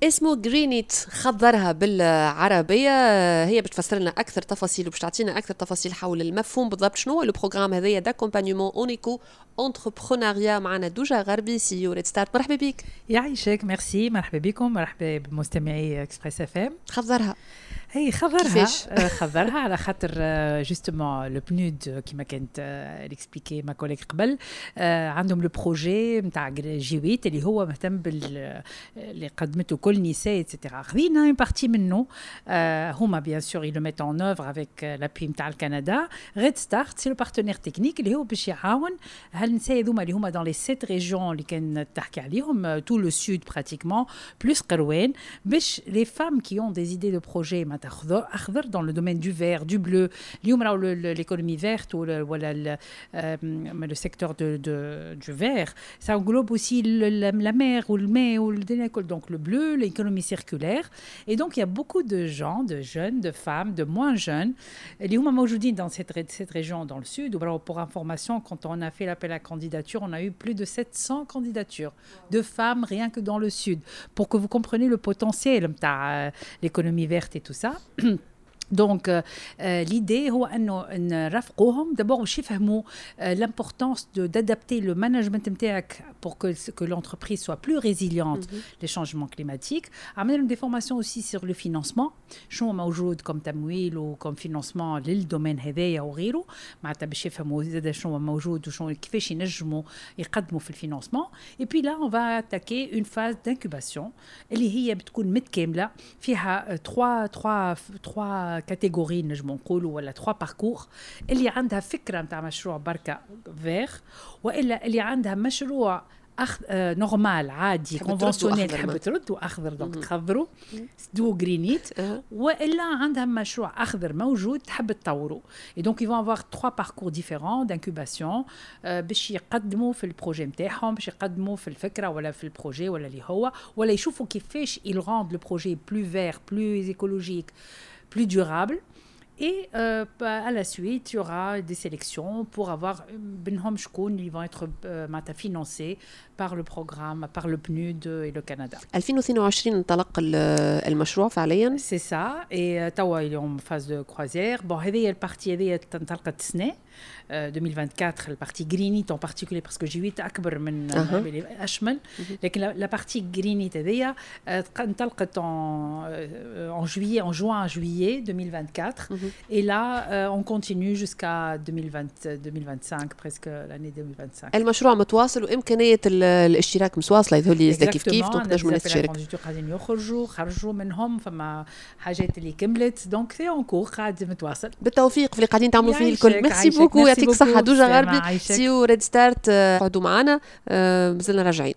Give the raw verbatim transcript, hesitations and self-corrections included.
اسمه Green It، خضرها بالعربيه. هي باش تفسر لنا اكثر تفاصيل وباش تعطينا اكثر تفاصيل حول المفهوم بالضبط، شنو هو le programme هذايا d'accompagnement en éco-entrepreneuriat. معنا دوجا غربي، CEO Red Start، مرحبا بك. يعيشك، ميرسي، مرحبا بكم، مرحبا بمستمعي Express FM. خضرها. هي خضرها. كيفاش؟ آه، خضرها على خاطر justement le PNUD، كيما كانت expliqué ma collègue قبل، آه، عندهم le projet نتاع جي ثمانية اللي هو مهتم بال اللي قدمته كل نساء et cetera. خذينا une partie منه، آه، هما bien sûr ils le mettent en œuvre avec l'appui نتاع الكندا. Red Start c'est le partenaire technique اللي هو باش يعاون هالنساء هذوما اللي هما dans les sept régions اللي كان تحكي عليهم، tout le sud pratiquement plus قروان، باش les femmes qui ont des idées de projet معناتها اخضر اخضر dans le domaine du vert, du bleu. اليوم راهو l'économie verte ولا le secteur de, de, du vert, ça englobe aussi le, la, la mer والماء والدنيا الكل، donc le bleu, l'économie circulaire. Et donc il y a beaucoup de gens, de jeunes, de femmes, de moins jeunes اللي هما موجودين dans cette, cette région, dans le sud. وراهو pour information, quand on a fait l'appel à candidature, on a eu plus de sept cents candidatures de femmes rien que dans le sud, pour que vous compreniez le potentiel نتاع l'économie verte et tout ça. Donc l'idée هو انه نرافقوهم d'abord باش يفهموا l'importance d'adapter le management نتاعك pour que que l'entreprise soit plus résiliente mm -hmm. les changements climatiques. عملنا لهم des formations aussi sur le financement، شنو موجود comme تمويل و comme financement لل domaine هذايا وغيره، معناتها باش يفهموا زاد شنو موجود وشنو كيفاش ينجموا يقدموا في ال financement. et puis là on va attaquer une phase d'incubation اللي هي بتكون متكامله، فيها trois trois trois catégories نجمو نقولوا ولا trois parcours: اللي عندها فكرة نتاع مشروع بركة vert، والا اللي عندها مشروع أخ... آه normal عادي conventionnel تحب ترد واخضر، donc تخضروا d'où Green It، والا عندها مشروع اخضر موجود تحب تطوروا. et donc ils vont avoir trois parcours différents d'incubation باش يقدموا في ال projet نتاعهم، باش يقدموا في الفكرة ولا في ال projet ولا اللي هو، ولا يشوفوا كيفاش ils rendent le projet plus vert, plus écologique, plus durable. Et euh, à la suite, il y aura des sélections pour avoir بينهم شكون اللي vont être euh, financés par le programme, par le PNUD et le Canada. ألفين واثنين وعشرين انطلق المشروع فعليا. C'est ça. Et توا il est en phase de croisière. Bon, هذه ال partie هذه انطلقت السنة ألفين وأربعة وعشرين، ال partie Green It en particulier, parce que جي ثمانية اكبر من أه. اشمل، لكن la partie Green It هذيا انطلقت en en juillet, en juin juillet deux mille vingt-quatre et là on continue jusqu'à deux mille vingt, deux mille vingt-cinq, presque l'année deux mille vingt-cinq. المشروع متواصل وامكانية الاشتراك متواصله، يظهر لي كيف كيف، donc نجموا الناس تشارك. قاعدين يخرجوا، خرجوا منهم، فما حاجات اللي كملت، donc c'est en cours، قاعد متواصل. بالتوفيق في اللي قاعدين تعملوا فيه الكل، merci beaucoup، يعطيك الصحة دوجا غربي، CEO Red Start. قعدوا معنا، مازلنا راجعين.